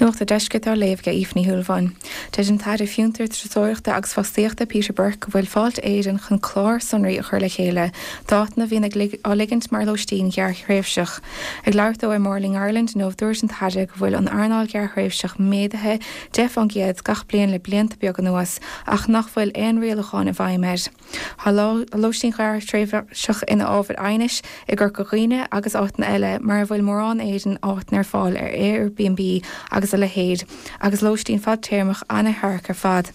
Nuacht an Deiscirt á léamh ag Aoife Ní Shúilleabháin. Deir an tAire Fiontar, Turasóireachta agus Fostaíochta Peter Burke go bhfuil Fáilte Éireann chun clár sonraí a chur le chéile d'áiteanna a bhíonn á ligint mar lóistín ghearrthréimhseach. Ag labhairt dó ar Morning Ireland inniu dúirt an tAire go bhfuil an earnáil ghearrthréimhseach méadaithe 10% gach bliain le blianta beaga anuas ach nach bhfuil aon rialúchán i bhfeidhm air. Tá lóistín ghearrthréimhseach ina ábhar aighnis i gCorca Dhuibhne agus áiteanna eile mar a bhfuil mórán éadan áiteanna ar fáil ar Airbnb agus a leithéid, agus lóistín fadtéarmach an-tearc ar fad.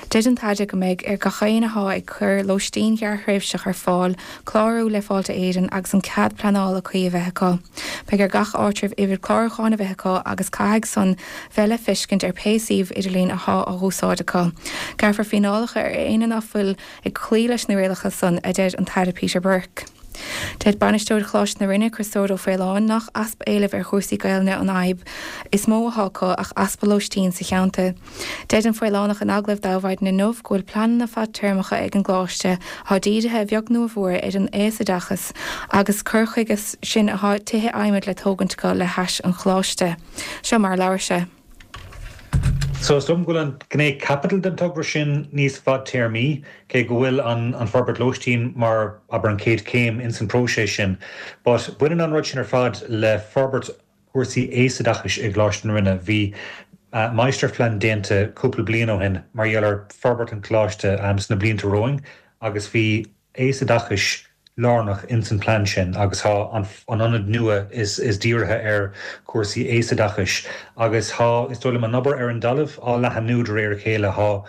Deir an tAire go mbeidh ar gach éinne athá ag cur lóistín ghearrthréimhseach ar fáil clárú le Fáilte Éireann agus an cead pleanála cuí a bheith acu. Beidh ar gach áitreabh uimhir clárúcháin a bheith acu agus caithfidh san bheith le feiscint ar pé suíomh idirlín athá á dh'úsáid acu. Gearrfar fíneálacha ar éinne ná fuil ag cloí leis na rialacha san, a deir an tAire Peter Burke. Deir Bainisteoir Choláiste na Rinne, Criostóir Ó Faoláin, nach easpa éilimh ar chúrsaí Gaelainne an fhadhb is mó athá acu ach easpa lóistín sa cheantar. Deir an Faolánach in agallamh d'Adhmhaidin inniu go bhfuil pleananna fadtéarmacha ag an gcoláiste athá dírithe a bheag nó a mhór ar an aosoideachas agus cur chuige sin athá tithe adhmaid le tógaint acu le hais an choláiste. Seo mar a labhair sé. So is dóigh liom go bhfuil an ghné caipitil den togra sin níos fadtéarmaí, cé go bhfuil an an forbairt lóistín mar, abair, an chéad chéim ins an próiseas sin. But baineann an rud sin ar fad le forbairt cúrsaí aosoideachais i gColáiste na Rinne. Bhí máistirphlean déanta cúpla bliain ó shin mar gheall ar forbairt an choláiste sna blianta romhainn agus bhí aosoideachais lárnach ins an plean sin agus thá an ionad nua is is dírithe ar chúrsaí aosoideachais agus thá, is dóigh liom, an obair ar an dtalamh á leathanú de réir a chéile. Thá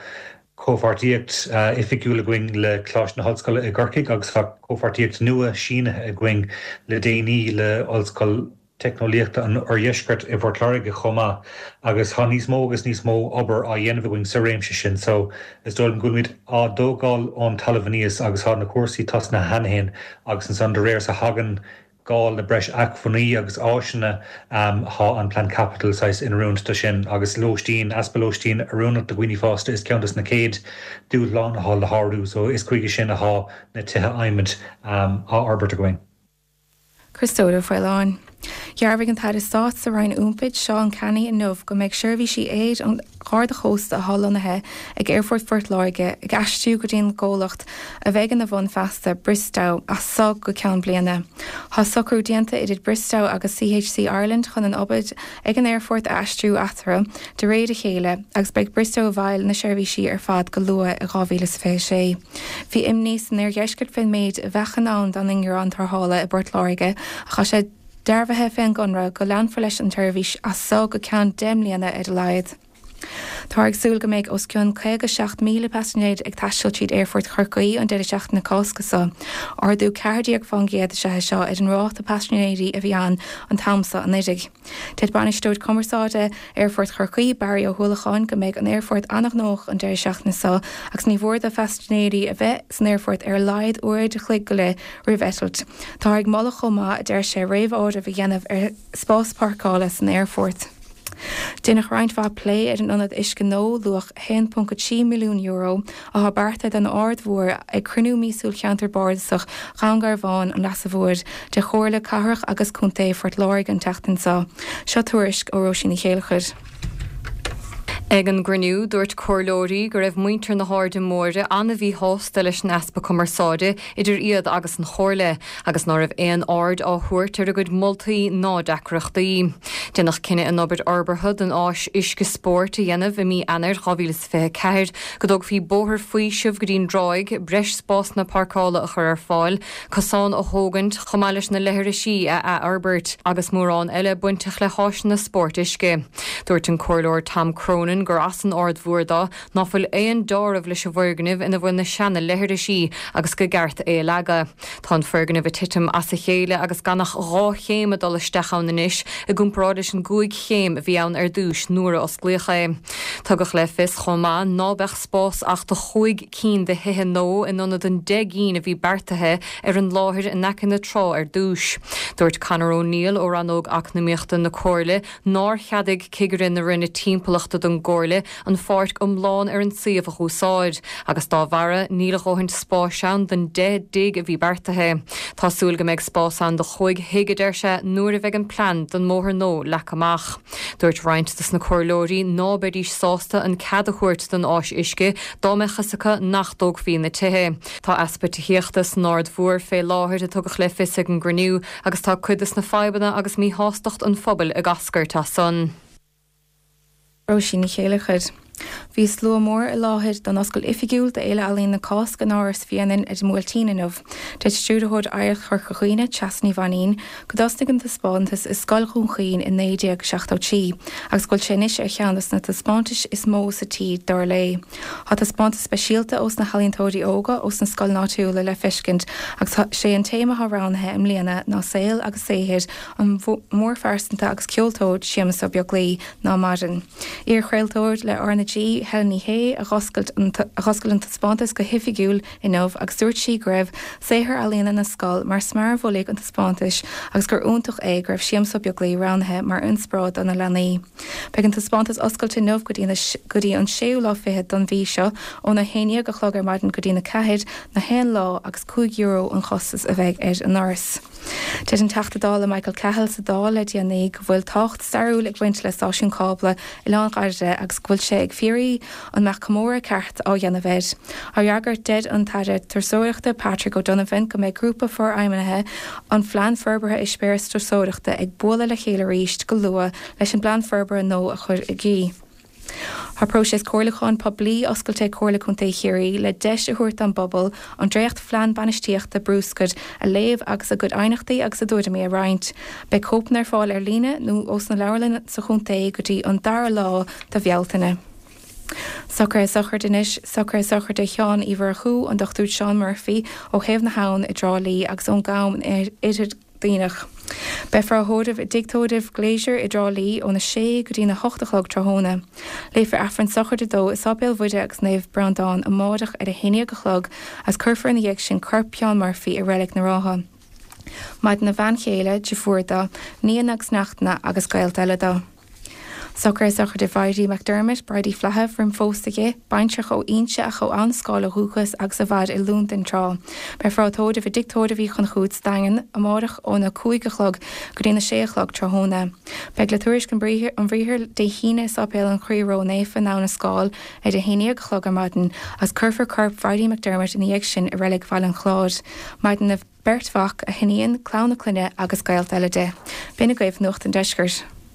comhpháirtíocht oifigiúil againn le Coláiste na hOllscoile i gCorcaigh agus thá comhpháirtíocht nua sínithe againn le déanaí le Ollscoil Teicneolaíochta an Oirdheiscirt i bPort Láirge chomh maith agus tá níos mó agus níos mó obair á dhéanamh againn sa réimse sin so is dóigh liom go bhfuilimid á dtógáil ón talamh aníos agus tá na cúrsaí tosnaithe cheana féin agus ansan de réir is a thagann gá le breis acmhainní agus áiseanna tá an plean caipitil saghas in oiriúint do sin agus lóistín, easpa lóistín oiriúnach do dhaoine fásta is ceann dos na chéad dúshláin atá le shárú so is chuige sin atá na tithe adhmaid á fhorbairt againn. Criostóir Ó Faoláin. Dhearbhaigh an tAire Stáit sa Roinn Iompair, Seán Canney inniu go mbeidh seirbhísí aeir an Gharda Chósta atá lonnaithe ag Aerfort Phort Láirge ag aistriú go dtí an gcomhlacht a bheidh ina bhun feasta, Bristow, as so go ceann bliana. Tá socrú déanta idir Bristow agus CHC Ireland chun an obair ag an aerfort a aistriú eatarthu de réir a chéile agus beidh Bristow i bhfeighil na seirbhísí ar fad go luath i 2026. Bhí imní san oirdheisceart fén méid a bheadh in ann don ingearán tarrthála i bPort Láirge ach tá sé dearbhaithe fén gconradh go leanfar leis an tseirbhís as so go ceann 10 mbliana ar a laghad. Táthar ag súil go mbeidh os cionn 57,000 paisinéir ag taisteal tríd Aerfort Chorcaí an deireadh seachtaine Cásca seo. Ardú 14% is ea é seo ar an ráta paisinéirí a bhí ann an t-am seo anuiridh. Deir Bainisteoir Cumarsáide Aerfort Chorcaí, Barry Ó hUallacháin, go mbeidh an aerfort an-ghnóthach an deireadh seachtaine seo agus ní mhór do phaisinéirí a bheith san aerfort ar a laghad uair a chloig go leith roimh eitilt. Táthar ag moladh chomh maith, a deir sé, réamh-áireamh a dhéanamh ar spás páirceála san aerfort. Deineadh roinnt mhaith plé ar an ionad uisce nua, luach €1.3 milliún, athá beartaithe don Aird Mhór ag cruinniú míosúil Cheantar Bardasach Dhún Garbhán, An Leasa Mhóir de Chomhairle Cathrach agus Contae Phort Láirge an tseachtain seo. Seo tuairisc ó Róisín Ní Chéilleachair. Ag an gcruinniú, dúirt comhairleoirí go raibh muintir na hAirde Móire an-mhíshásta leis an easpa cumarsáide idir iad agus an Chomhairle agus ná raibh aon aird á thabhairt ar a gcuid moltaí ná deacrachtaí. Déanadh cinneadh an obair fhorbartha don áis uisce spóirt a dhéanamh i mí Eanáir 2024, go dtógfaí bóthar faoisimh go dtí'n dtráigh, breis spásanna páirceála a chur ar fáil, cosán a thógaint, chomh maith leis na leithrisí a athfhorbairt, agus mórán eile bainteach le háiseanna spóirt uisce. Dúirt an Comhairleoir Tom Cronin gur as an Aird Mhór dó ná fuil aon deáramh leis an bhfoirgneamh ina bhfuil na seana leithrisí agus go gceart é a leagadh. Tá an foirgneamh ag titim as a chéile agus gan ach 2 chéim ag dul isteach ann anois i gcomparáid leis an gcúig chéim a bhí ann ar dtúis nuair a osclaíodh é. Tugadh le fios chomh maith ná beadh spás ach do chúig cinn de thithe nua in ionad an 10 gcinn a bhí beartaithe ar an láthair in aice na trá ar dtús. Dúirt Conor O'Neill ó Rannóg Eacnamaíochta na Comhairle nár cheadaigh cigire na Roinne Timpeallachta don gComhairle an pháirc iomlán ar an suíomh a dh'úsáid agus dá bharra níl a dhóthaint spáis ann don 10 dtigh a bhí beartaithe. Tá súil go mbeidh spás ann do chúig thigh, a deir sé, nuair a bheidh an plean don mbóthar nua leagtha amach. Dúirt roinnt dos na comhairleoirí ná beidís sásta an cead a thabhairt don áis uisce dá mbeadh fhios acu nach dtógfaí na tithe. Tá easpa tithíochta san Aird Mhór fé láthair, a tugadh le fios ag an gcruinniú, agus tá cuid dos na fadhbanna agus míshástacht an phobail ag eascairt as san. Róisín Ní Chéilleachair. Bhí slua mór i láthair don oscailt oifigiúil d'Fhéile Ealaíon na Cásca in Áras Bhréanainn ar an mBuailtín inniu. Deir Stiúrthóir Oidhreacht Chorca Dhuibhne, Treasa Ní Mhainín, go dtosnaigh an taispeántas i Scoil Dhún Chaoin i 1973 agus go bhfuil sé anois ar cheann dos na taispeántais is mó sa tír, dar léi. Tá taispeántas speisialta ós na healaíontóirí óga ós na scoileanna áitiúla le feiscint agus sé an téama atá roghnaithe i mbliana ná saol agus saothar an mhórphearsanta agus ceoltóir Séamus Ó Beaglaoi, ná maireann. Iar-chraoltóir le R na G, Helen Ní Shé, a dh'oscailt a dh'oscail an taispeántas go hoifigiúil inniu agus dúirt sí go raibh saothar ealaíona na scol mar smear mhullaigh an taispeántais agus gur iontach é go raibh Séamus Ó Beaglaoi roghnaithe mar inspioráid do na leanaí. Beidh an taispeántas oscailte inniu go dtí go dtí an séú lá fichead don mhí seo, óna 11 a chlog ar maidin go dtína 4, na haon lá agus €5 an chostas a bheidh ar an ndoras. Deir an Teachta Dála Michael Cahill sa Dáil le déanaí go bhfuil tábhacht stairiúil ag baint le stáisiún cábla Oileán Dhoire agus go bhfuil sé ag fiafraí an mbeadh comóradh ceart á dhéanamh air. Á fhreagairt, deir an tAire Turasóireachta Patrick O'Donovan go mbeidh grúpa forfheidhmithe an Phlean Forbartha Eispéireas Turasóireachta ag bualadh le chéile arís go luath leis an bplean forbartha nua a chur i gcrích. Tá próiseas comhairliúcháin poiblí oscailte ag Comhairle Contae Chiarraí le deis a thabhairt don bpobal an dréacht-Phlean Bainistíochta Bruscair a léamh agus a gcuid aighneachtaí agus a dtuairimí a roinnt. Beidh cóipeanna ar fáil ar líne nó ós na leabharlanna sa chontae go dtí an dara lá de Bhealtaine. Socruithe sochraide anois, Socruithe sochraide Sheáin Uí Mhurchú, an Dr Seán Murphy, ó Thaobh na hAbhann i dTrá Lí agus ón gCam in Oirthear Duibhneach. Beifear á thórramh i dTigh Tórraimh Glazier i dTrá Lí óna sé go dtína hocht a chlog tráthnóna. Léifear Aifreann sochraide dó i Sáipéal Mhuire agus Naomh Breandán amáireach ar a haon dhéag a chlog agus cuirfear ina dhiaidh sin corp Sheáin Murphy i Reilig na Rátha. Maireann a bhean chéile, deirfiúr dó, nianna agus neachtanna agus gaolta eile dó. Socruithe sochraide Bhridie McDermott, Bridie Flaithimh, roim phósadh di, baintreach ó Inse ach ó Abhainn na Scáil ó dhúchas agus a mhair i Londain tráth. Beifear á tórramh i dTigh Tórraimh Uí Chonchúir sa Daingean amárach óna 5 a chlog go dtína 6 a chlog tráthnóna. Beidh le tuairisc an bhriathair Dé hAoine i Sáipéal an Chroí Ró-Naofa in Abhainn na Scáil ar a 11 a chlog ar maidin agus cuirfear corp Bhridie McDermott ina dhiaidh sin i Reilig Bhaile an Chláir. Maireann a beirt mhac, a hiníon, clann a clainne agus gaolta eile di. B'in agaibh Nuacht an Deiscirt.